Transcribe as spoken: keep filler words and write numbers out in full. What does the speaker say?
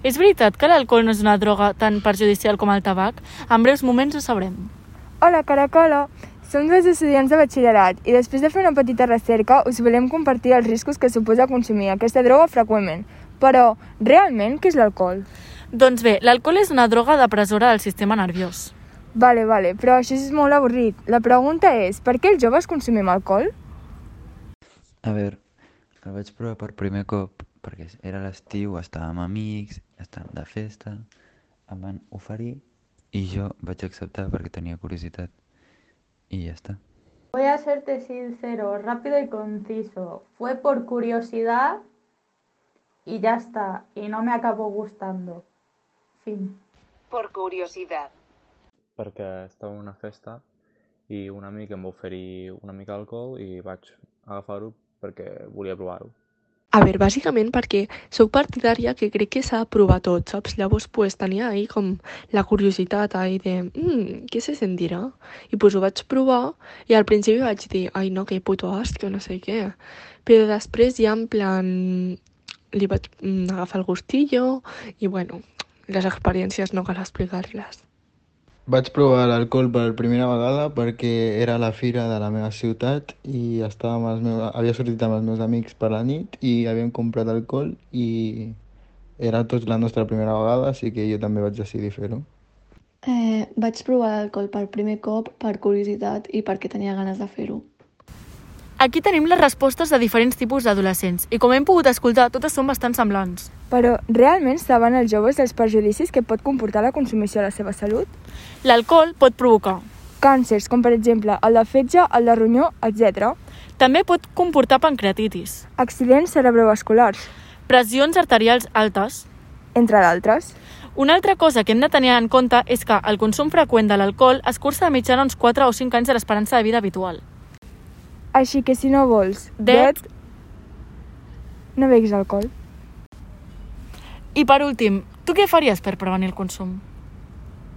És veritat que l'alcohol no és una droga tan perjudicial com el tabac? En breus moments ho sabrem. Hola, Caracola! Som dos estudiants de batxillerat i després de fer una petita recerca us volem compartir els riscos que suposa consumir aquesta droga freqüentment. Però, realment, què és l'alcohol? Doncs bé, l'alcohol és una droga depressora del sistema nerviós. Vale, vale, però això és molt avorrit. La pregunta és, per què els joves consumim alcohol? A veure, el vaig provar per primer cop perquè era l'estiu, estàvem amics, estàvem de festa, em van oferir i jo vaig acceptar perquè tenia curiositat. Y ya está. Voy a serte sincero, rápido y conciso. Fue por curiosidad y ya está. Y no me acabó gustando. Fin. Por curiosidad. Perquè estava en una festa i un amic em va oferir una mica d'alcohol i vaig agafar-ho perquè volia provar-ho. A veure, bàsicament perquè sóc partidària que crec que s'ha de provar tot, saps? Llavors, pues, tenia ahí com la curiositat ahí de, mmm, què se sentirà? I pues ho vaig provar i al principi vaig dir, ai no, que puto asco, no sé què. Però després ja en plan li vaig mm, agafar el gustillo i bueno, les experiències no cal explicar-les. Vaig provar l'alcohol per primera vegada perquè era la fira de la meva ciutat i estava amb els meus, havia sortit amb els meus amics per la nit i havíem comprat alcohol i era tots la nostra primera vegada, així que jo també vaig decidir fer-ho. Eh, vaig provar l'alcohol per primer cop per curiositat i perquè tenia ganes de fer-ho. Aquí tenim les respostes de diferents tipus d'adolescents i com hem pogut escoltar, totes són bastant semblants. Però realment saben els joves dels perjudicis que pot comportar la consumició a la seva salut? L'alcohol pot provocar càncers, com per exemple el de fetge, el de ronyó, etcètera. També pot comportar pancreatitis, accidents cerebrovasculars, pressions arterials altes, entre d'altres. Una altra cosa que hem de tenir en compte és que el consum freqüent de l'alcohol escurça de mitjana uns quatre o cinc anys de l'esperança de vida habitual. Així que si no vols Det, no beguis alcohol. I per últim, tu què faries per prevenir el consum?